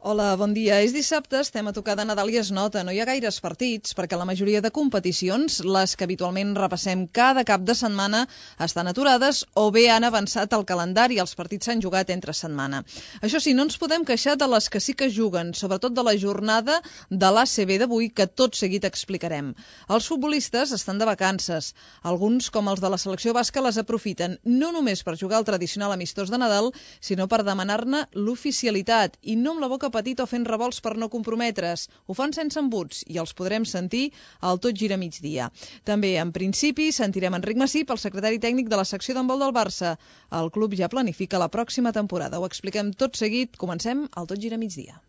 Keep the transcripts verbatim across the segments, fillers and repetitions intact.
Hola, bon dia. És dissabte, estem a tocar de Nadal i es nota. No hi ha gaires partits, perquè la majoria de competicions, les que habitualment repassem cada cap de setmana, estan aturades o bé han avançat el calendari i els partits s'han jugat entre setmana. Això sí, no ens podem queixar de les que sí que juguen, sobretot de la jornada de l'A C B d'avui, que tot seguit explicarem. Els futbolistes estan de vacances. Alguns, com els de la selecció basca, les aprofiten no només per jugar el tradicional amistós de Nadal, sinó per demanar-ne l'oficialitat, i no amb la boca petit o fent revolts per no comprometre's. Ho fan sense embuts i els podrem sentir al Tot Gira Migdia. També, en principi, sentirem Enric Massip, el secretari tècnic de la secció d'handbol del Barça. El club ja planifica la pròxima temporada. Ho expliquem tot seguit. Comencem al Tot Gira Migdia.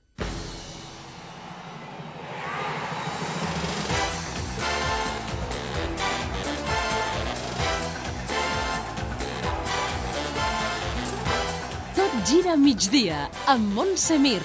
Gira migdia, amb Montse Mir.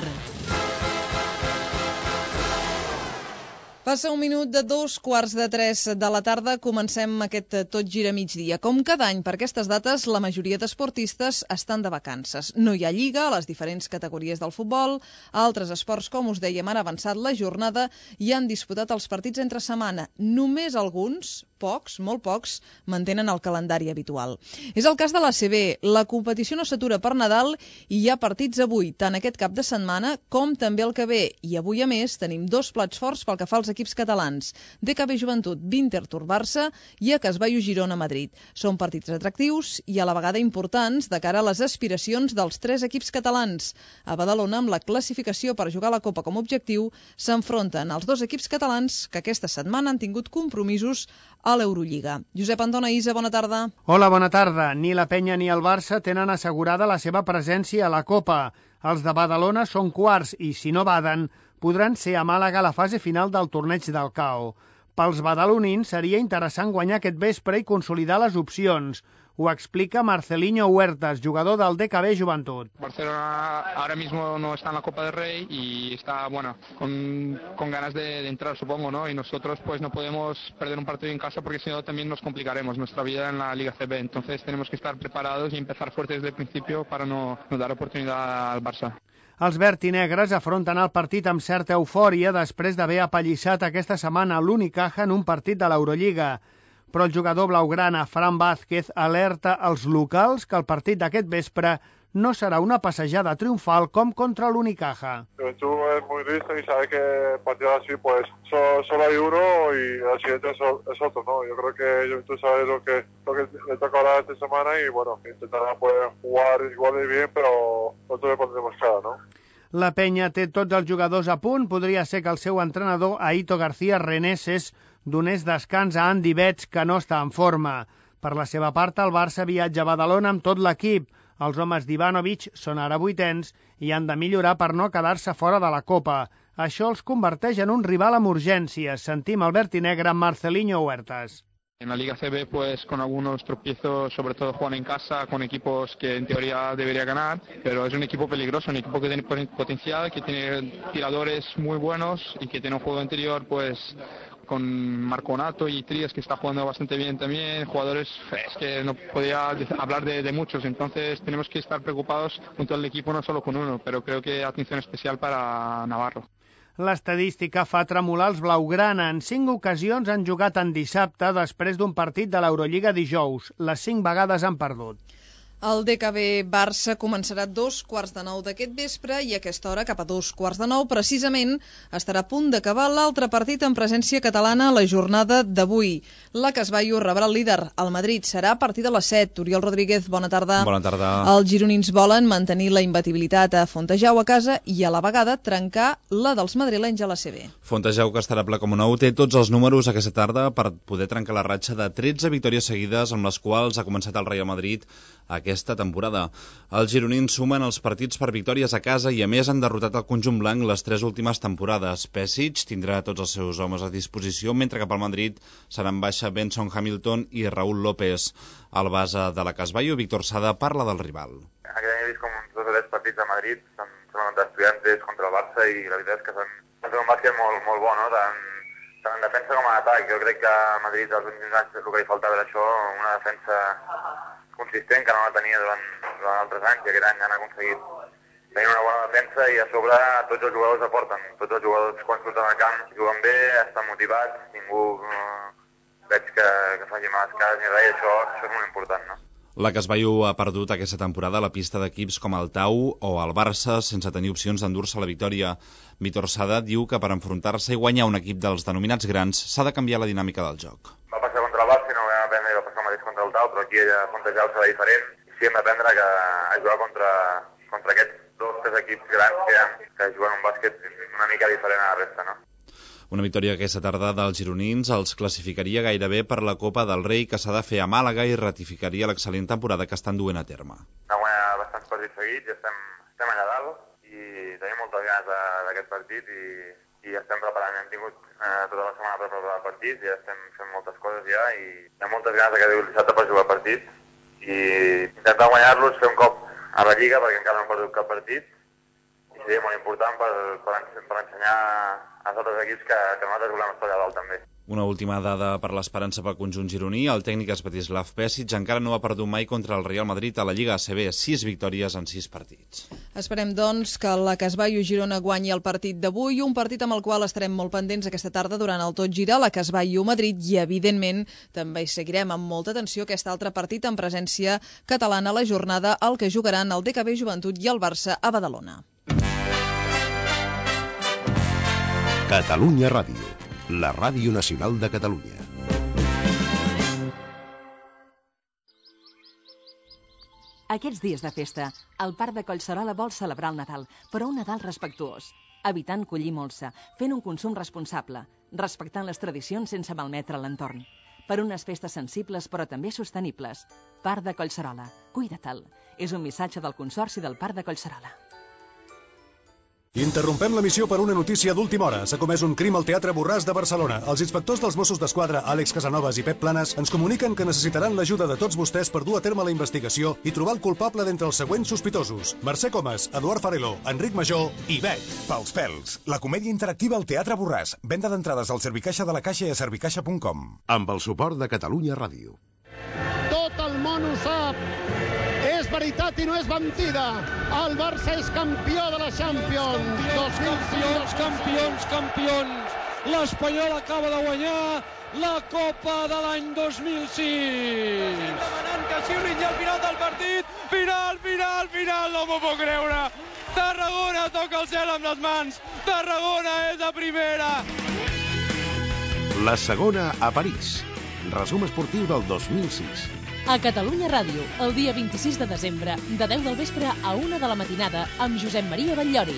Passa un minut de dos quarts de tres de la tarda, comencem aquest Tot Gira Migdia. Com cada any, per aquestes dates, la majoria d'esportistes estan de vacances. No hi ha lliga a les diferents categories del futbol, altres esports, com us dèiem, han avançat la jornada i han disputat els partits entre setmana. Només alguns, pocs, molt pocs, mantenen el calendari habitual. És el cas de l'A C B. La competició no s'atura per Nadal i hi ha partits avui, tant aquest cap de setmana com també el que ve. I avui, a més, tenim dos plats forts pel que fa als equips catalans. D K B Joventut, Winterthur Barça i A Casbaio Girona Madrid. Són partits atractius i a la vegada importants de cara a les aspiracions dels tres equips catalans. A Badalona, amb la classificació per jugar a la Copa com a objectiu, s'enfronten els dos equips catalans que aquesta setmana han tingut compromisos a l'Eurolliga. Josep Antona Isa, bona tarda. Hola, bona tarda. Ni la Penya ni el Barça tenen assegurada la seva presència a la Copa. Els de Badalona són quarts i, si no baden, podran ser a Màlaga a la fase final del torneig del C A O. Pels badalonins seria interessant guanyar aquest vespre i consolidar les opcions. Ho explica Marcelinho Huertas, jugador del D K B Joventut. Barcelona ahora mismo no está en la Copa del Rey y está, bueno, con, con ganas de, de entrar, supongo, ¿no? Y nosotros pues no podemos perder un partido en casa porque si no también nos complicaremos nuestra vida en la Liga C B. Entonces tenemos que estar preparados y empezar fuertes desde el principio para no, no dar oportunidad al Barça. Els verd i negres afronten el partit amb certa eufòria després d'haver apallissat aquesta setmana l'Unicaja en un partit de l'Eurolliga. Però el jugador blaugrana, Fran Vázquez, alerta als locals que el partit d'aquest vespre no serà una passejada triomfal com contra l'Unicaja. Juventud es muy listo y sabe que partidos así pues solo, solo hay uno y el siguiente es, es otro, ¿no? Yo creo que Juventud sabe lo que, lo que le toca ahora esta semana y bueno, intentará poder jugar igual de bien, pero nosotros le pondremos cara, ¿no? La Penya té tots els jugadors a punt. Podria ser que el seu entrenador, Aito García Reneses, donés descans a Andy Betts, que no està en forma. Per la seva part, el Barça viatja a Badalona amb tot l'equip. Els homes d'Ivanovic són ara vuitens i han de millorar per no quedar-se fora de la Copa. Això els converteix en un rival amb urgències. Sentim el verd i negre Marcelinho Huertas. En la Liga C B, pues con algunos tropiezos, sobre todo juegan en casa con equipos que en teoría debería ganar, pero es un equipo peligroso, un equipo que tiene potencial, que tiene tiradores muy buenos y que tiene un juego interior, pues con Marconato y Trías, que está jugando bastante bien también, jugadores, es que no podía hablar de, de muchos, entonces tenemos que estar preocupados junto al equipo, no solo con uno, pero creo que atención especial para Navarro. L'estadística fa tremolar els blaugrana. En cinc ocasions han jugat en dissabte després d'un partit de l'Eurolliga dijous. Les cinc vegades han perdut. El D K B Barça començarà a dos quarts de nou d'aquest vespre i a aquesta hora, cap a dos quarts de nou, precisament, estarà a punt d'acabar l'altre partit en presència catalana a la jornada d'avui. La Casbaio rebrà el líder. El Madrid serà a partir de les set. Oriol Rodríguez, bona tarda. Bona tarda. Els gironins volen mantenir la imbatibilitat a Fontejau a casa i a la vegada trencar la dels madrilenys a la C B. Fontejau, que estarà ple com un ou, té tots els números aquesta tarda per poder trencar la ratxa de tretze victòries seguides amb les quals ha començat el Real Madrid aquesta temporada. Els gironins sumen els partits per victòries a casa i a més han derrotat el conjunt blanc les tres últimes temporades. Pesic tindrà tots els seus homes a disposició, mentre que pel Madrid seran baixa Benson Hamilton i Raúl López. El base de la Casbaio, Víctor Sada, parla del rival. Aquest any he vist com uns dos o tres partits a Madrid, són, són d'estudiantes contra el Barça i la veritat és que són, són un bàsquet molt, molt bo, no? Tant, tant en defensa com en atac. Jo crec que a Madrid els últims anys el que li faltava era això, una defensa consistent que no la tenia durant, durant altres anys i aquest any han aconseguit tenint una bona defensa i a sobre tots els jugadors aporten. Tots els jugadors quan surten al camp juguen bé, estan motivats, ningú eh, veig que, que faci males cares ni res, i això, això és molt important, no? La Casbaio ha perdut aquesta temporada a la pista d'equips com el Tau o el Barça sense tenir opcions d'endur-se la victòria. Víctor Sada diu que per enfrontar-se i guanyar un equip dels denominats grans s'ha de canviar la dinàmica del joc. Va passar contra el Barça i no ho vam aprendre i va passar el mateix contra el Tau, però aquí ella plantejar serà diferent. Sí, hem d'aprendre que a jugar contra, contra aquests dos, tres equips grans que, ha, que juguen un bàsquet una mica diferent a la resta, no? Una victòria aquesta tarda dels gironins els classificaria gairebé per la Copa del Rei que s'ha de fer a Màlaga i ratificaria l'excel·lent temporada que estan duent a terme. Hem guanyat bastants partits seguits i estem, estem allà dalt i tenim moltes ganes d'aquest partit i, i estem preparant. Hem tingut eh, tota la setmana per preparar el partit i ja estem fent moltes coses ja i hi ha moltes ganes que arribi el dissabte per jugar el partit i intentar guanyar-los, fer un cop a la Lliga perquè encara no hem perdut cap partit i seria molt important per, per, per ensenyar als altres equips que, que nosaltres volem estar allà dalt també. Una última dada per l'esperança pel conjunt gironí. El tècnic Svetislav Pesic encara no ha perdut mai contra el Real Madrid a la Lliga A C B, sis victòries en sis partits. Esperem, doncs, que la Casbaio Girona guanyi el partit d'avui, un partit amb el qual estarem molt pendents aquesta tarda durant el Tot Gira, la Casbaio Madrid, i evidentment també seguirem amb molta atenció aquest altre partit en presència catalana a la jornada, el que jugaran el D K B Joventut i el Barça a Badalona. Catalunya Ràdio, la ràdio nacional de Catalunya. Aquests dies de festa, el Parc de Collserola vol celebrar el Nadal, però un Nadal respectuós, evitant collir molsa, fent un consum responsable, respectant les tradicions sense malmetre l'entorn. Per unes festes sensibles però també sostenibles. Parc de Collserola, cuida-te'l. És un missatge del Consorci del Parc de Collserola. Interrompem l'emissió per una notícia d'última hora. S'ha comès un crim al Teatre Borràs de Barcelona. Els inspectors dels Mossos d'Esquadra, Àlex Casanovas i Pep Planes, ens comuniquen que necessitaran l'ajuda de tots vostès per dur a terme la investigació i trobar el culpable d'entre els següents sospitosos: Mercè Comas, Eduard Fareló, Enric Major i Bet. Pels pèls, la comèdia interactiva al Teatre Borràs. Venda d'entrades al Servicaixa de la Caixa i a servicaixa punt com. Amb el suport de Catalunya Ràdio. Tot el món ho sap. És veritat i no és mentida. El Barça és campió de la Champions. Campions, campions, campions. L'Espanyol acaba de guanyar la Copa de l'any dos mil sis. Estem demanant que xiulin ja al final del partit. Final, final, final, no m'ho puc creure. Tarragona toca el cel amb les mans. Tarragona és a primera. La segona a París. Resum esportiu del dos mil sis. A Catalunya Ràdio, el dia vint-i-sis de desembre, de deu del vespre a una de la matinada, amb Josep Maria Batllori.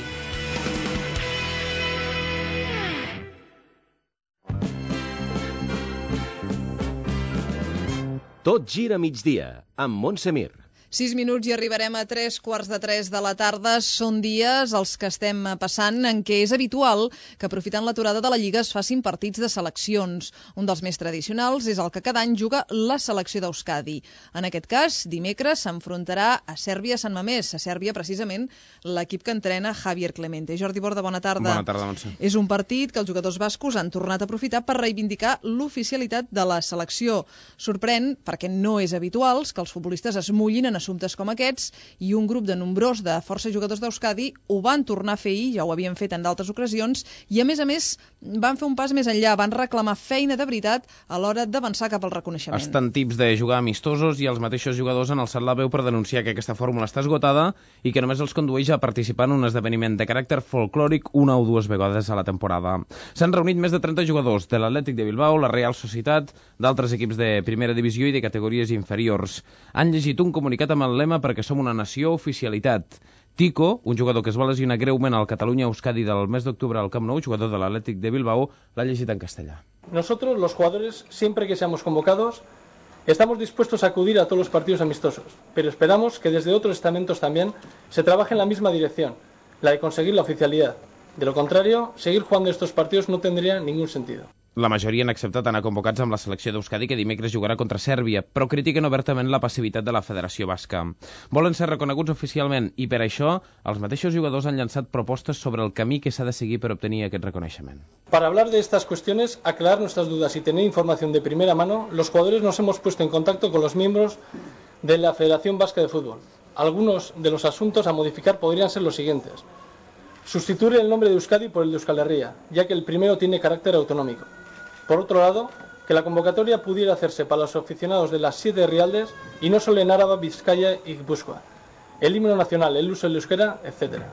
Tot gira a migdia, amb Montse Mir. Sis minuts i arribarem a tres quarts de tres de la tarda. Són dies els que estem passant en què és habitual que, aprofitant l'aturada de la Lliga, es facin partits de seleccions. Un dels més tradicionals és el que cada any juga la selecció d'Euskadi. En aquest cas, dimecres s'enfrontarà a Sèrbia-Sant Mamés. A Sèrbia, precisament, l'equip que entrena Javier Clemente. Jordi Borda, bona tarda. Bona tarda, Montse. És un partit que els jugadors bascos han tornat a aprofitar per reivindicar l'oficialitat de la selecció. Sorprèn, perquè no és habitual, que els futbolistes es mullin en assumptes com aquests, i un grup de nombrós de força jugadors d'Euskadi ho van tornar a fer ahir, ja ho havien fet en d'altres ocasions, i a més a més van fer un pas més enllà, van reclamar feina de veritat a l'hora d'avançar cap al reconeixement. Estan tips de jugar amistosos i els mateixos jugadors han alçat la veu per denunciar que aquesta fórmula està esgotada i que només els condueix a participar en un esdeveniment de caràcter folclòric una o dues vegades a la temporada. S'han reunit més de trenta jugadors de l'Atlètic de Bilbao, la Real Societat, d'altres equips de primera divisió i de categories inferiors. Han llegit un comunicat amb el lema perquè som una nació oficialitat. Tico, un jugador que es va lesionar greument al Catalunya-Euskadi del mes d'octubre al Camp Nou, jugador de l'Atlètic de Bilbao, l'ha llegit en castellà. Nosotros, los jugadores, siempre que seamos convocados, estamos dispuestos a acudir a todos los partidos amistosos, pero esperamos que desde otros estamentos también se trabaje en la misma dirección, la de conseguir la oficialidad. De lo contrario, seguir jugando estos partidos no tendría ningún sentido. La majoria han acceptat anar convocats amb la selecció d'Euskadi que dimecres jugarà contra Sèrbia, però critiquen obertament la passivitat de la Federació Basca. Volen ser reconeguts oficialment i per això els mateixos jugadors han llançat propostes sobre el camí que s'ha de seguir per obtenir aquest reconeixement. Para hablar de estas cuestiones, aclarar nuestras dudas y tener información de primera mano, los jugadores nos hemos puesto en contacto con los miembros de la Federación Vasca de Fútbol. Algunos de los asuntos a modificar podrían ser los siguientes. Sustituir el nombre de Euskadi por el de Euskal Herria, ya que el primero tiene carácter autonómico. Por otro lado, que la convocatoria pudiera hacerse para los aficionados de las siete rialdes y no solo en Áraba, Vizcaya y Guipúzcoa. El himno nacional, el uso del euskera, etcétera.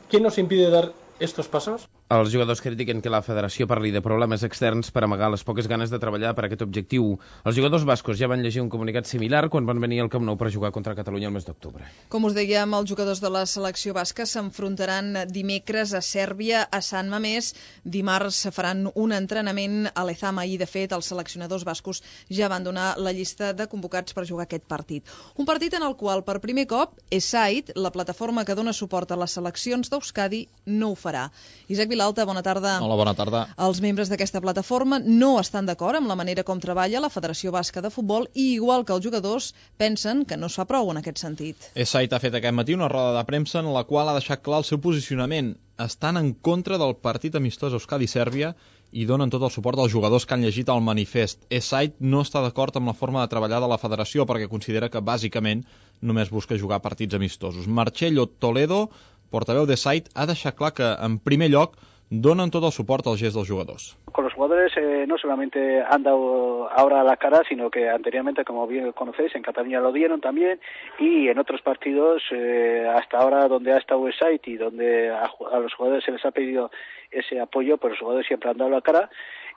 ¿Qué nos impide dar estos pasos? Els jugadors critiquen que la federació parli de problemes externs per amagar les poques ganes de treballar per aquest objectiu. Els jugadors bascos ja van llegir un comunicat similar quan van venir al Camp Nou per jugar contra Catalunya el mes d'octubre. Com us dèiem, els jugadors de la selecció basca s'enfrontaran dimecres a Sèrbia, a Sant Mamés. Dimarts faran un entrenament a l'Ezama i, de fet, els seleccionadors bascos ja van donar la llista de convocats per jugar aquest partit. Un partit en el qual, per primer cop, ESAID, la plataforma que dona suport a les seleccions d'Euskadi, no ho farà. Isaac Vilalta, bona tarda. Hola, bona tarda. Els membres d'aquesta plataforma no estan d'acord amb la manera com treballa la Federació Basca de Futbol i, igual que els jugadors, pensen que no es fa prou en aquest sentit. ESAID ha fet aquest matí una roda de premsa en la qual ha deixat clar el seu posicionament. Estan en contra del partit amistós Euskadi-Sèrbia i donen tot el suport als jugadors que han llegit el manifest. ESAID no està d'acord amb la forma de treballar de la federació perquè considera que, bàsicament, només busca jugar partits amistosos. Marcelo Toledo, portaveu d'ESAID, ha deixat clar que, en primer lloc, donen tot el suport al gest dels jugadors. Con los jugadores eh, no solamente han dado ahora la cara, sino que anteriormente, como bien conocéis, en Cataluña lo dieron también, y en otros partidos, eh, hasta ahora donde ha estado ESAID y donde a, a los jugadores se les ha pedido ese apoyo, pues los jugadores siempre han dado la cara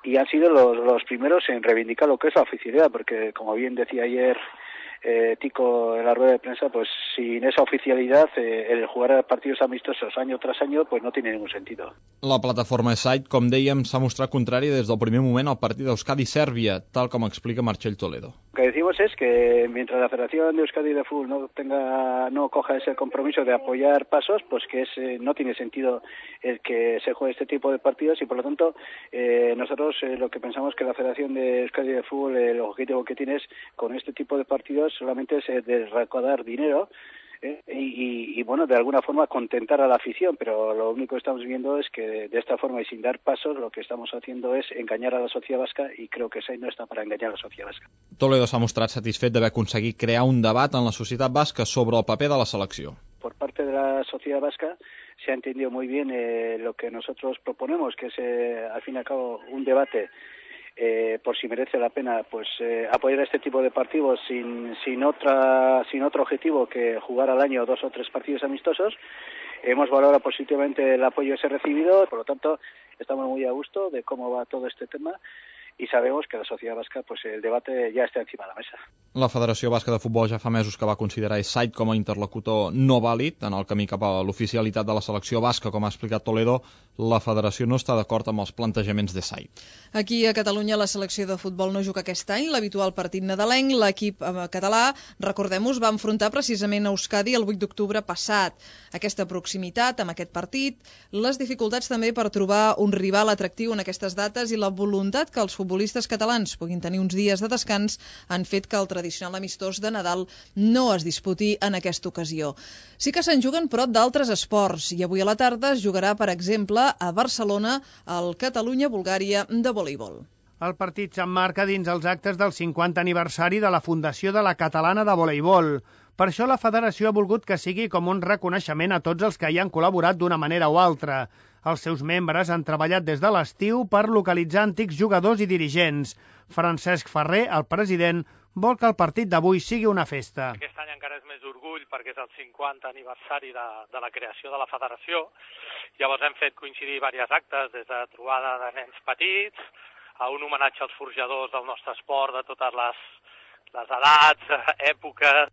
y han sido los, los primeros en reivindicar lo que es la oficialidad, porque como bien decía ayer Eh, Tico en la rueda de prensa, pues sin esa oficialidad eh, el jugar partidos amistosos año tras año pues no tiene ningún sentido. La plataforma ESAID, com dèiem, s'ha mostrat contrària des del primer moment al partit d'Euskadi-Sèrbia, tal com explica Marcel Toledo. Lo que decimos es que mientras la Federación de Euskadi de Fútbol no tenga, no coja ese compromiso de apoyar pasos, pues que es, eh, no tiene sentido el que se juegue este tipo de partidos y por lo tanto eh, nosotros eh, lo que pensamos que la Federación de Euskadi de Fútbol, el objetivo que tiene es con este tipo de partidos solamente es eh, de recaudar dinero eh, y, y, y bueno, de alguna forma contentar a la afición, pero lo único que estamos viendo es que de esta forma y sin dar pasos lo que estamos haciendo es engañar a la sociedad vasca y creo que ESAID no está para engañar a la sociedad vasca. Toledo s'ha mostrat satisfet d'haver aconseguit crear un debat en la societat basca sobre el paper de la selecció. Por parte de la sociedad vasca se ha entendido muy bien eh, lo que nosotros proponemos, que es eh, al fin y al cabo un debate Eh, por si merece la pena pues eh, apoyar este tipo de partidos sin sin otra sin otro objetivo que jugar al año dos o tres partidos amistosos. Hemos valorado positivamente el apoyo ese recibido, por lo tanto estamos muy a gusto de cómo va todo este tema y sabemos que la sociedad vasca pues el debate ya está encima de la mesa. La Federació Basca de Futbol ja fa mesos que va considerar ESAID com a interlocutor no vàlid en el camí cap a l'oficialitat de la selecció basca, com ha explicat Toledo. La federació no està d'acord amb els plantejaments d'ESAID. Aquí a Catalunya la selecció de futbol no juga aquest any l'habitual partit nadalenc. L'equip català, recordem-nos, va enfrontar precisament a Euskadi el vuit d'octubre passat. Aquesta proximitat amb aquest partit, les dificultats també per trobar un rival atractiu en aquestes dates i la voluntat que els futbolistes catalans puguin tenir uns dies de descans han fet que el tradicional amistós de Nadal no es disputi en aquesta ocasió. Sí que se'n juguen, però, d'altres esports, i avui a la tarda es jugarà, per exemple, a Barcelona el Catalunya-Bulgària de voleibol. El partit s'emmarca dins els actes del cinquanta aniversari de la fundació de la Catalana de Voleibol. Per això la federació ha volgut que sigui com un reconeixement a tots els que hi han col·laborat d'una manera o altra. Els seus membres han treballat des de l'estiu per localitzar antics jugadors i dirigents. Francesc Ferrer, el president, vol que el partit d'avui sigui una festa. Aquest any encara és més d'orgull perquè és el cinquanta aniversari de, de la creació de la federació. Llavors hem fet coincidir diversos actes, des de trobada de nens petits, a un homenatge als forjadors del nostre esport de totes les, les edats, èpoques.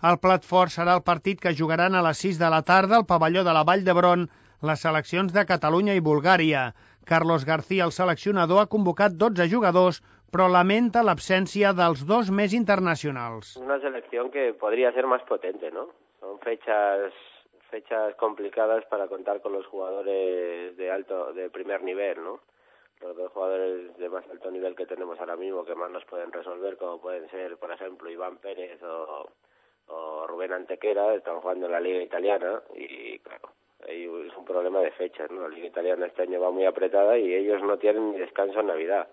El plat fort serà el partit que jugaran a les sis de la tarda al pavelló de la Vall d'Hebron les seleccions de Catalunya i Bulgària. Carlos García, el seleccionador, ha convocat dotze jugadors, però lamenta l'absència dels dos més internacionals. Una selección que podría ser más potente, ¿no? Son fechas fechas complicadas para contar con los jugadores de alto, de primer nivel, ¿no? Los dos jugadores de más alto nivel que tenemos ahora mismo, que más nos pueden resolver, como pueden ser, por ejemplo, Iván Pérez o, o Rubén Antequera, están jugando en la Liga Italiana y, claro, es un problema de fechas, ¿no? La Liga Italiana este año va muy apretada y ellos no tienen ni descanso en Navidad.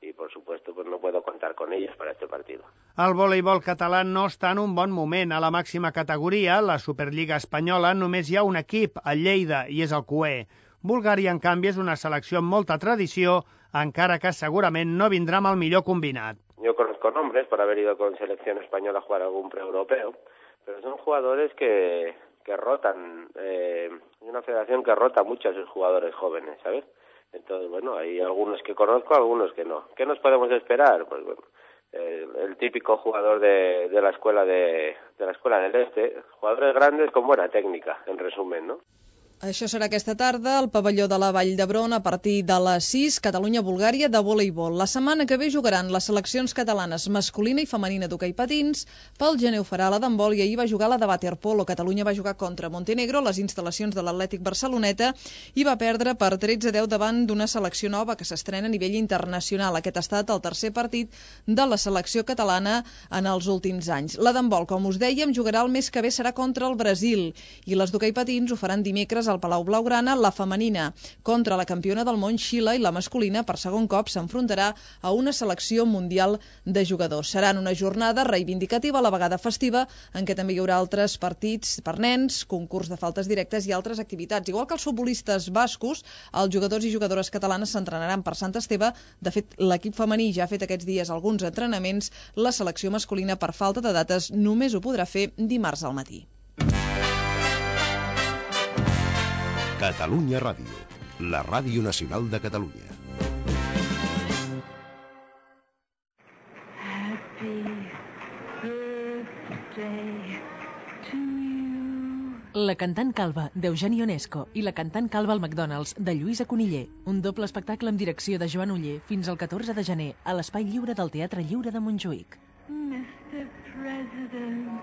y por supuesto pues no puedo contar con ellos para este partido. El voleibol català no està en un bon moment. A la màxima categoria, la Superliga espanyola, només hi ha un equip, el Lleida, i és el Cué. Bulgària, en canvi, és una selecció amb molta tradició, encara que segurament no vindrà amb el millor combinat. Yo conozco nombres por haber ido con selección española a jugar algún pre-europeo, pero son jugadores que, que rotan, eh, una federación que rota mucho a sus jugadores jóvenes, ¿sabes? Entonces, bueno, hay algunos que conozco, algunos que no. ¿Qué nos podemos esperar? Pues bueno, el, el típico jugador de, de la escuela de, de la escuela del Este, jugadores grandes con buena técnica, en resumen, ¿no? Això serà aquesta tarda al pavelló de la Vall d'Hebron a partir de les sis, Catalunya-Bulgària de voleibol. La setmana que ve jugaran les seleccions catalanes masculina i femenina d'hoquei patins, pel gener ho farà la d'handbol i ahir va jugar la de waterpolo. Catalunya va jugar contra Montenegro a les instal·lacions de l'Atlètic Barceloneta i va perdre per tretze a deu davant d'una selecció nova que s'estrena a nivell internacional. Aquest ha estat el tercer partit de la selecció catalana en els últims anys. La d'handbol, com us dèiem, jugarà el mes que ve serà contra el Brasil i les d'hoquei patins ho faran dimecres al Palau Blaugrana. La femenina contra la campiona del món Xile i la masculina per segon cop s'enfrontarà a una selecció mundial de jugadors. Seran una jornada reivindicativa, a la vegada festiva, en què també hi haurà altres partits per nens, concurs de faltes directes i altres activitats. Igual que els futbolistes bascos, els jugadors i jugadores catalanes s'entrenaran per Sant Esteve. De fet, l'equip femení ja ha fet aquests dies alguns entrenaments. La selecció masculina, per falta de dates, només ho podrà fer dimarts al matí. Catalunya Ràdio, la ràdio nacional de Catalunya. La cantant calba, d'Eugeni Onesco, i la cantant calba al McDonald's, de Lluïsa Coniller. Un doble espectacle amb direcció de Joan Oller fins al catorze de gener a l'Espai Lliure del Teatre Lliure de Montjuïc. mister President.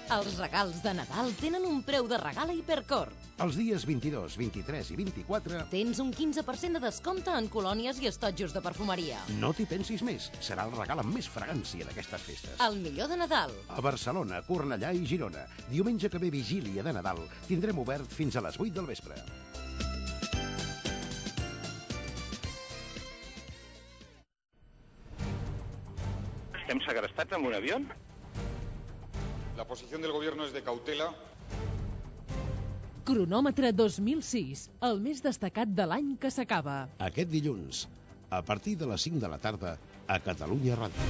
Els regals de Nadal tenen un preu de regal a Hipercor. Els dies vint-i-dos, vint-i-tres i vint-i-quatre... Tens un quinze per cent de descompte en colònies i estotjos de perfumeria. No t'hi pensis més. Serà el regal amb més fragància d'aquestes festes. El millor de Nadal. A Barcelona, Cornellà i Girona. Diumenge que ve vigília de Nadal. Tindrem obert fins a les vuit del vespre. Estem segrestats amb un avió? La posición del gobierno es de cautela. Cronòmetre dos mil sis, el més destacat de l'any que s'acaba. Aquest dilluns, a partir de les cinc de la tarda, a Catalunya Ràdio.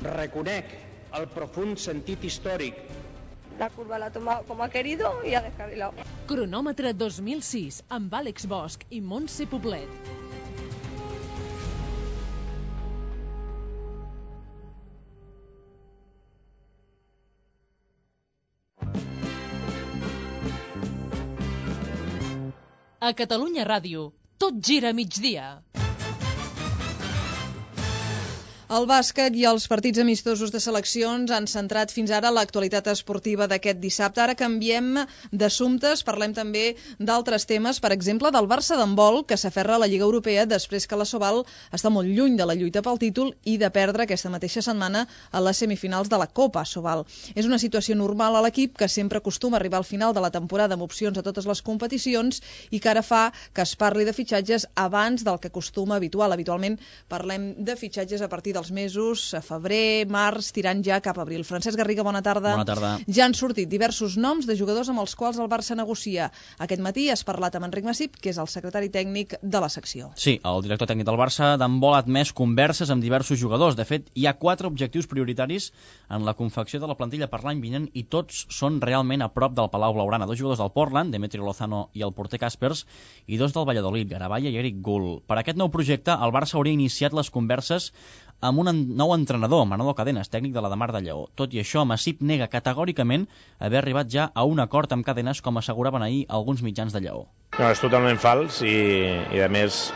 Reconec el profund sentit històric. La curva la ha tomado como ha querido y ha descarrilado. Cronòmetre dos mil sis, amb Àlex Bosch i Montse Poblet. A Catalunya Ràdio, tot gira a migdia. El bàsquet i els partits amistosos de seleccions han centrat fins ara l'actualitat esportiva d'aquest dissabte. Ara canviem d'assumptes, parlem també d'altres temes, per exemple del Barça d'handbol, que s'aferra a la Lliga Europea després que la Soval està molt lluny de la lluita pel títol i de perdre aquesta mateixa setmana a les semifinals de la Copa Soval. És una situació normal a l'equip, que sempre acostuma a arribar al final de la temporada amb opcions a totes les competicions i que ara fa que es parli de fitxatges abans del que acostuma habitual. Habitualment parlem de fitxatges a partir dels mesos, a febrer, març, tirant ja cap a abril. Francesc Garriga, bona tarda. Bona tarda. Ja han sortit diversos noms de jugadors amb els quals el Barça negocia. Aquest matí has parlat amb Enric Massip, que és el secretari tècnic de la secció. Sí, el director tècnic del Barça d'handbol ha admès converses amb diversos jugadors. De fet, hi ha quatre objectius prioritaris en la confecció de la plantilla per l'any vinent i tots són realment a prop del Palau Blaugrana. Dos jugadors del Portland, Demetrio Lozano i el porter Caspers, i dos del Valladolid, Garabaya i Eric Gull. Per aquest nou projecte, el Barça hauria iniciat les converses amb un nou entrenador, Manolo Cadenas, tècnic de la de Mar de Lleó. Tot i això, Massip nega categòricament haver arribat ja a un acord amb Cadenas, com asseguraven ahir alguns mitjans de Lleó. No, és totalment fals i, i a més,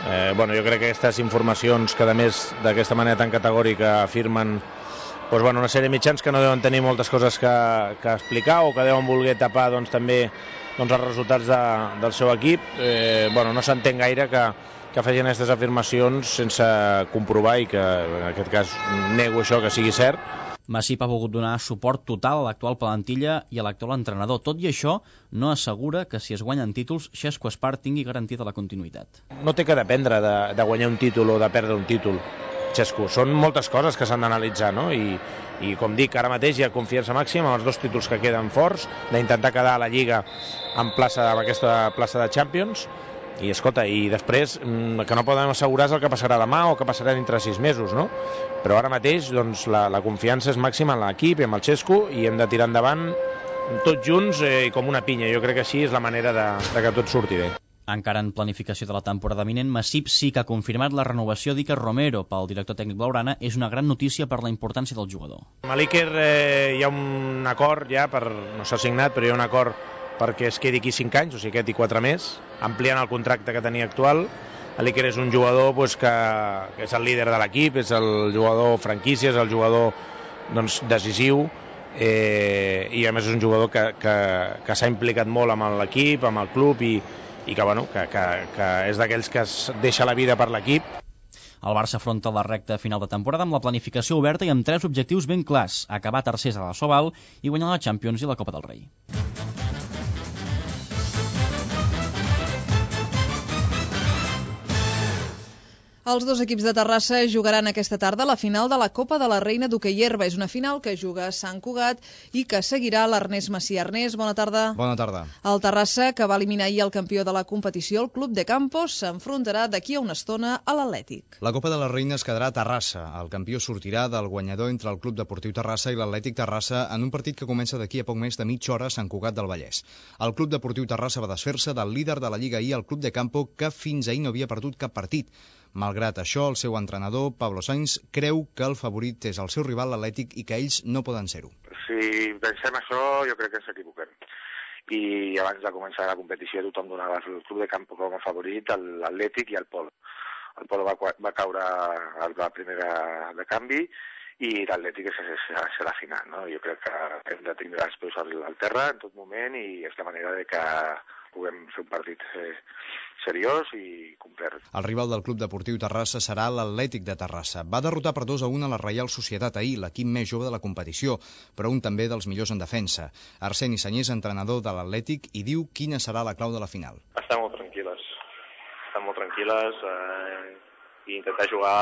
eh, bueno, jo crec que aquestes informacions que a més d'aquesta manera tan categòrica afirmen doncs, bueno, una sèrie de mitjans que no deuen tenir moltes coses que, que explicar o que deuen voler tapar doncs, també doncs, els resultats de, del seu equip. Eh, bueno, no s'entén gaire que que facin aquestes afirmacions sense comprovar i que en aquest cas nego això que sigui cert. Masip ha volgut donar suport total a l'actual plantilla i a l'actual entrenador. Tot i això, no assegura que si es guanyen títols, Xesco Espart tingui garantida la continuïtat. No té que dependre de, de guanyar un títol o de perdre un títol, Xesco. Són moltes coses que s'han d'analitzar, no? I, i com dic, ara mateix hi ha confiança màxima amb els dos títols que queden forts, d'intentar quedar a la Lliga en, plaça, en aquesta plaça de Champions. I, escolta, i després, que no podem assegurar és el que passarà demà o que passarà dintre sis mesos, no? Però ara mateix, doncs, la, la confiança és màxima en l'equip i amb el Xesco i hem de tirar endavant tots junts eh, com una pinya. Jo crec que així és la manera de, de que tot surti bé. Encara en planificació de la temporada vinent, Masip sí que ha confirmat la renovació d'Iker Romero pel director tècnic blaugrana. És una gran notícia per la importància del jugador. Amb l'Iker eh, hi ha un acord ja, per, no s'ha signat, però hi ha un acord perquè es quedi aquí cinc anys, o sigui, aquest i quatre més, ampliant el contracte que tenia actual. L'Iker és un jugador pues, que, que és el líder de l'equip, és el jugador franquícia, és el jugador doncs, decisiu, eh, i a més és un jugador que, que, que s'ha implicat molt amb l'equip, amb el club, i, i que, bueno, que, que, que és d'aquells que es deixa la vida per l'equip. El Barça afronta la recta final de temporada amb la planificació oberta i amb tres objectius ben clars: acabar tercers a la Sobal i guanyar la Champions i la Copa del Rei. Els dos equips de Terrassa jugaran aquesta tarda la final de la Copa de la Reina d'Hoquei Herba. És una final que juga a Sant Cugat i que seguirà l'Ernest Macià. Ernest, bona tarda. Bona tarda. El Terrassa, que va eliminar ahir el campió de la competició, el Club de Campos, s'enfrontarà d'aquí a una estona a l'Atlètic. La Copa de la Reina es quedarà a Terrassa. El campió sortirà del guanyador entre el Club Deportiu Terrassa i l'Atlètic Terrassa en un partit que comença d'aquí a poc més de mitja hora a Sant Cugat del Vallès. El Club Deportiu Terrassa va desfer-se del líder de la Lliga ahir, el Club de Campo, que fins ahir no havia perdut cap partit. Malgrat això, el seu entrenador, Pablo Sainz, creu que el favorit és el seu rival, l'Atlètic, i que ells no poden ser-ho. Si pensem això, jo crec que ens equivoquem. I abans de començar la competició tothom donava el Club de Campo com a favorit, l'Atlètic i el Polo. El Polo va, va caure a la primera de canvi i l'Atlètic serà la final, no? Jo crec que hem de tindre els peus al, al terra en tot moment i és la manera de que puguem fer un partit eh, seriós i complet. El rival del Club Deportiu Terrassa serà l'Atlètic de Terrassa. Va derrotar per dos a un a la Reial Societat ahir, l'equip més jove de la competició, però un també dels millors en defensa. Arseni Senyés, entrenador de l'Atlètic, i diu quina serà la clau de la final. Estar molt tranquil·les. Estar molt tranquil·les eh, i intentar jugar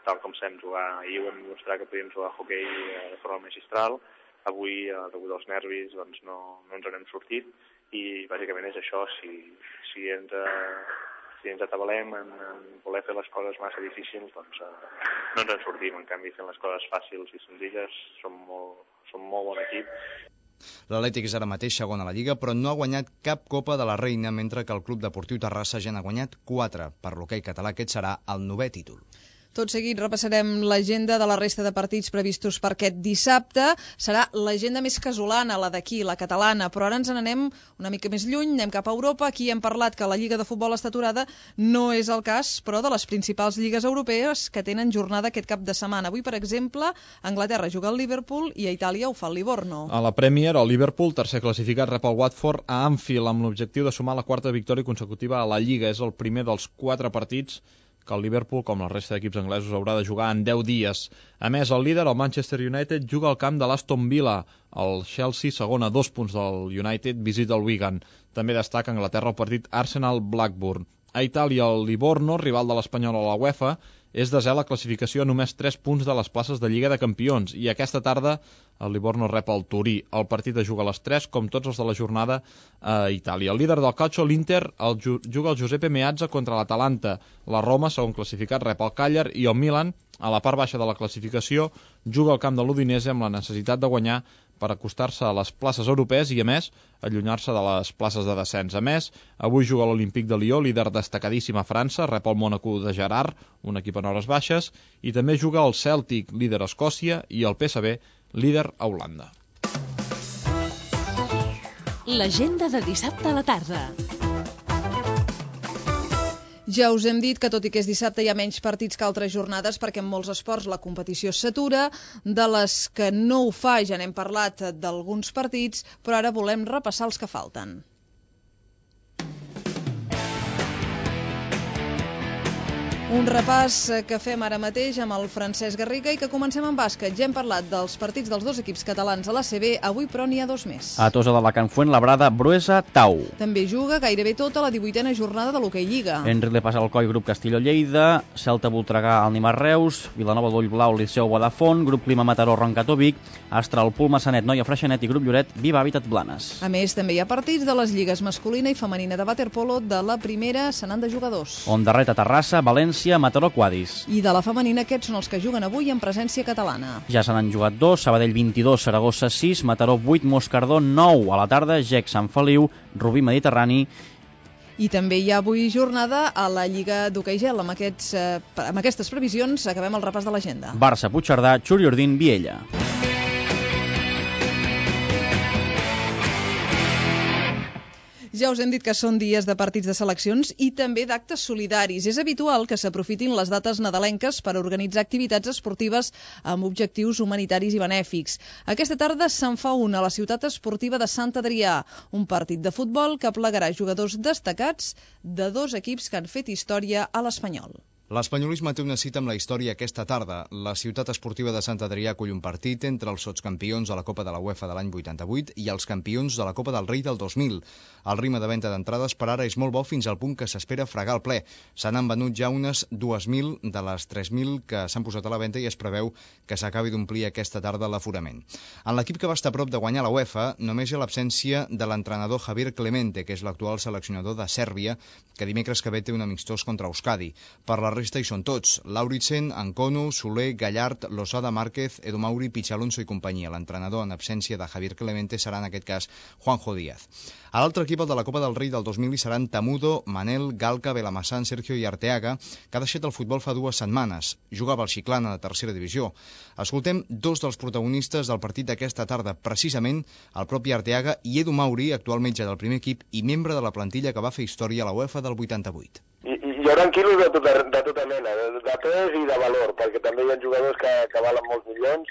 tal com sabem jugar. Ahir ho vam mostrar que podíem jugar a hoquei eh, de forma magistral. Avui, eh, degut als nervis, doncs no, no ens n'hem sortit. I bàsicament és això, si, si, ens, eh, si ens atabalem en, en voler fer les coses massa difícils, doncs eh, no ens en sortim. En canvi, fent les coses fàcils i senzilles, som molt, som molt bon equip. L'Atlètic és ara mateix segon a la Lliga, però no ha guanyat cap Copa de la Reina, mentre que el Club Deportiu Terrassa ja n'ha guanyat quatre. Per l'hoquei català aquest serà el novè títol. Tot seguit repassarem l'agenda de la resta de partits previstos per aquest dissabte. Serà l'agenda més casolana, la d'aquí, la catalana, però ara ens n'anem una mica més lluny, anem cap a Europa. Aquí hem parlat que la Lliga de Futbol està aturada. No és el cas, però, de les principals lligues europees que tenen jornada aquest cap de setmana. Avui, per exemple, a Anglaterra juga el Liverpool i a Itàlia ho fa el Livorno. A la Premier, el Liverpool, tercer classificat, rep el Watford a Anfield amb l'objectiu de sumar la quarta victòria consecutiva a la Lliga. És el primer dels quatre partits que el Liverpool, com la resta d'equips anglesos, haurà de jugar en deu dies. A més, el líder, el Manchester United, juga al camp de l'Aston Villa. El Chelsea, segon a dos punts del United, visita el Wigan. També destaca a Anglaterra el partit Arsenal-Blackburn. A Itàlia, el Livorno, rival de l'Espanyol a la UEFA, és desè a la classificació a només tres punts de les places de Lliga de Campions, i aquesta tarda el Livorno rep el Turí. El partit es juga a les tres, com tots els de la jornada a Itàlia. El líder del calcio, l'Inter, el ju juga el Giuseppe Meazza contra l'Atalanta. La Roma, segon classificat, rep el Càller, i el Milan, a la part baixa de la classificació, juga al camp de l'Udinese amb la necessitat de guanyar per acostar-se a les places europees i, a més, allunyar-se de les places de descens. A més, avui juga l'Olímpic de Lió, líder destacadíssim a França, rep el Mónaco de Gerard, un equip en hores baixes, i també juga el Celtic, líder a Escòcia, i el P S V, líder a Holanda. L'agenda de dissabte a la tarda. Ja us hem dit que, tot i que és dissabte, hi ha menys partits que altres jornades, perquè en molts esports la competició s'atura. De les que no ho fa ja n'hem parlat d'alguns partits, però ara volem repassar els que falten. Un repàs que fem ara mateix amb el Francesc Garriga i que comencem amb bàsquet. Ja hem parlat dels partits dels dos equips catalans a l'A C B, avui però n'hi ha dos més. A Tossa d'Alacant Fuenlabrada, Bruesa, Tau. També juga gairebé tota la divuitena jornada de l'Hoquei Lliga. Enric Le passa al Coi, grup Castilló Lleida, Celta Voltregà al Nimar Reus, Vilanova d'Ull Blau, Liceu Vodafone, grup Clima Mataró Roncató Vic, Astral Pul Massanet Noia Freixenet i grup Lloret Viva Habitat Blanes. A més, també hi ha partits de les lligues masculina i femenina de waterpolo de la primera, se n'han de jugar dos. Ondarreta Terrassa, València, Mataró Quadis. I de la femenina aquests són els que juguen avui en presència catalana. Ja se n'han jugat dos, Sabadell vint-i-dos, Saragossa sis, Mataró vuit, Moscardó nou. A la tarda, Gec Sant Feliu, Rubí Mediterrani. I també hi ha avui jornada a la Lliga d'Hoquei Gel. Amb, aquests, eh, amb aquestes previsions acabem el repàs de l'agenda. Barça, Puigcerdà, Xuriordín, Viella. Ja us hem dit que són dies de partits de seleccions i també d'actes solidaris. És habitual que s'aprofitin les dates nadalenques per organitzar activitats esportives amb objectius humanitaris i benèfics. Aquesta tarda se'n fa una a la ciutat esportiva de Sant Adrià, un partit de futbol que aplegarà jugadors destacats de dos equips que han fet història a l'Espanyol. L'espanyolisme té una cita amb la història aquesta tarda. La ciutat esportiva de Sant Adrià acull un partit entre els sotscampions de la Copa de la UEFA de l'any vuitanta-vuit i els campions de la Copa del Rei del dos mil. El ritme de venda d'entrades per ara és molt bo fins al punt que s'espera fregar el ple. Se n'han venut ja unes dues mil de les tres mil que s'han posat a la venda i es preveu que s'acabi d'omplir aquesta tarda l'aforament. En l'equip que va estar a prop de guanyar la UEFA només hi ha l'absència de l'entrenador Javier Clemente, que és l'actual seleccionador de Sèrbia, que dimecres que ve té un amistós contra Euskadi. Per la resta hi són tots: Lauritsen, Ancono, Soler, Gallard, Losada, Márquez, Edu Mauri, Pichalonso i companyia. L'entrenador en absència de Javier Clemente serà en aquest cas Juanjo Díaz. A l'altre equip, el de la Copa del Rei del dos mil, hi seran Tamudo, Manel, Galca, Belamassán, Sergio i Arteaga, que ha deixat el futbol fa dues setmanes. Jugava al Xiclana de tercera divisió. Escoltem dos dels protagonistes del partit d'aquesta tarda, precisament el propi Arteaga i Edu Mauri, actual metge del primer equip i membre de la plantilla que va fer història a la UEFA del vuitanta-vuit. I, i hi haurà quilos de tota, de tota mena, de, de pes i de valor, perquè també hi ha jugadors que, que valen molts milions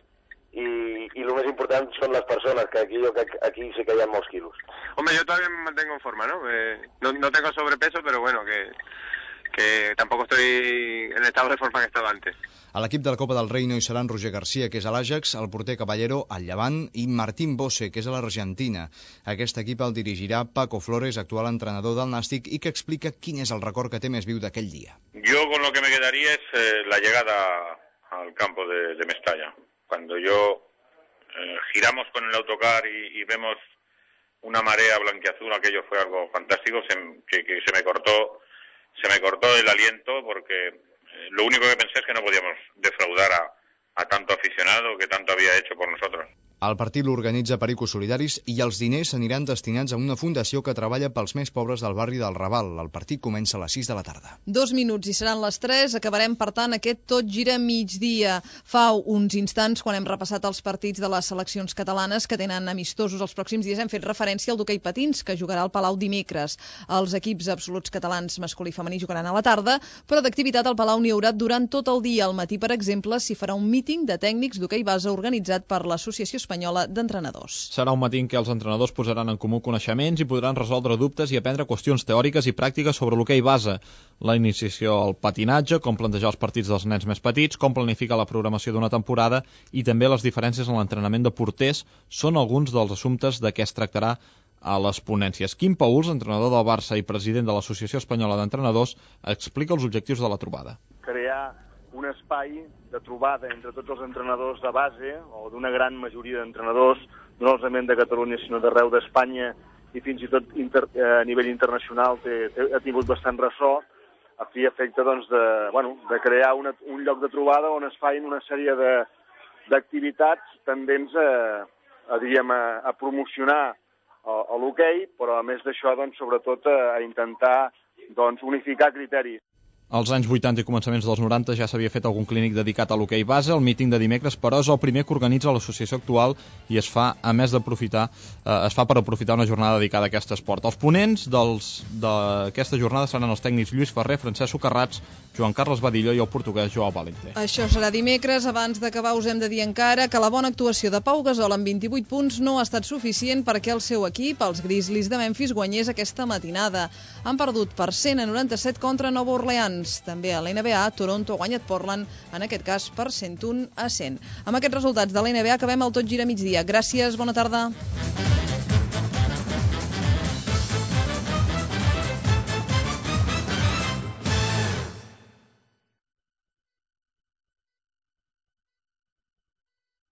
i, y lo más importante son las personas, que aquí, yo, que aquí sí que hay molts quilos. Hombre, yo todavía me mantengo en forma, ¿no? Eh, no, no tengo sobrepeso, pero bueno, que, que tampoco estoy en el estado de forma que estaba antes. A l'equip de la Copa del Rei no hi seran Roger García, que és a l'Àjax, el porter Caballero al Llevant i Martín Bose, que és a l'Argentina. Aquest equip el dirigirà Paco Flores, actual entrenador del Nàstic, i que explica quin és el record que té més viu d'aquell dia. Yo con lo que me quedaría es eh, la llegada al campo de, de Mestalla. Cuando yo eh, giramos con el autocar y, y vemos una marea blanquiazul, aquello fue algo fantástico, se, que, que se me cortó, se me cortó el aliento porque eh, lo único que pensé es que no podíamos defraudar a, a tanto aficionado que tanto había hecho por nosotros. El partit l'organitza Pericos Solidaris i els diners aniran destinats a una fundació que treballa pels més pobres del barri del Raval. El partit comença a les sis de la tarda. Dos minuts i seran les tres. Acabarem, per tant, aquest Tot Gira migdia. Fa uns instants, quan hem repassat els partits de les seleccions catalanes que tenen amistosos els pròxims dies, hem fet referència al d'hoquei patins, que jugarà al Palau dimecres. Els equips absoluts catalans masculí i femení jugaran a la tarda, però d'activitat al Palau n'hi haurà durant tot el dia. Al matí, per exemple, s'hi farà un míting de tècnics d'hoquei base organitzat per l'Associació Espanyola d'Entrenadors. Serà un matí en què els entrenadors posaran en comú coneixements i podran resoldre dubtes i aprendre qüestions teòriques i pràctiques sobre l'hoquei base, la iniciació al patinatge, com plantejar els partits dels nens més petits, com planificar la programació d'una temporada i també les diferències en l'entrenament de porters són alguns dels assumptes de què es tractarà a les ponències. Quim Pauls, entrenador del Barça i president de l'Associació Espanyola d'Entrenadors, explica els objectius de la trobada. Crear un espai de trobada entre tots els entrenadors de base, o d'una gran majoria d'entrenadors, no solament de Catalunya, sinó d'arreu d'Espanya, i fins i tot inter, a nivell internacional té, té, ha tingut bastant ressò, a fi i efecte doncs, de, bueno, de crear una, un lloc de trobada on es facin una sèrie d'activitats tendents a, a, diríem, a, a promocionar l'hoquei, però a més d'això, doncs, sobretot a, a intentar doncs, unificar criteris. Als anys vuitanta i començaments dels noranta ja s'havia fet algun clínic dedicat a l'hoquei base. El míting de dimecres, però, és el primer que organitza l'associació actual i es fa, a més d'aprofitar, eh, es fa per aprofitar una jornada dedicada a aquest esport. Els ponents d'aquesta jornada seran els tècnics Lluís Ferrer, Francesc Socarrats, Joan Carles Badillo i el portuguès Joao Valente. Això serà dimecres. Abans d'acabar us hem de dir encara que la bona actuació de Pau Gasol amb vint-i-vuit punts no ha estat suficient perquè el seu equip, els Grizzlies de Memphis, guanyés aquesta matinada. Han perdut per cent a noranta-set contra Nova Orleans. També a l'N B A, Toronto ha guanyat Portland, en aquest cas per cent un a cent. Amb aquests resultats de l'N B A acabem el Tot Gira Migdia. Gràcies, bona tarda.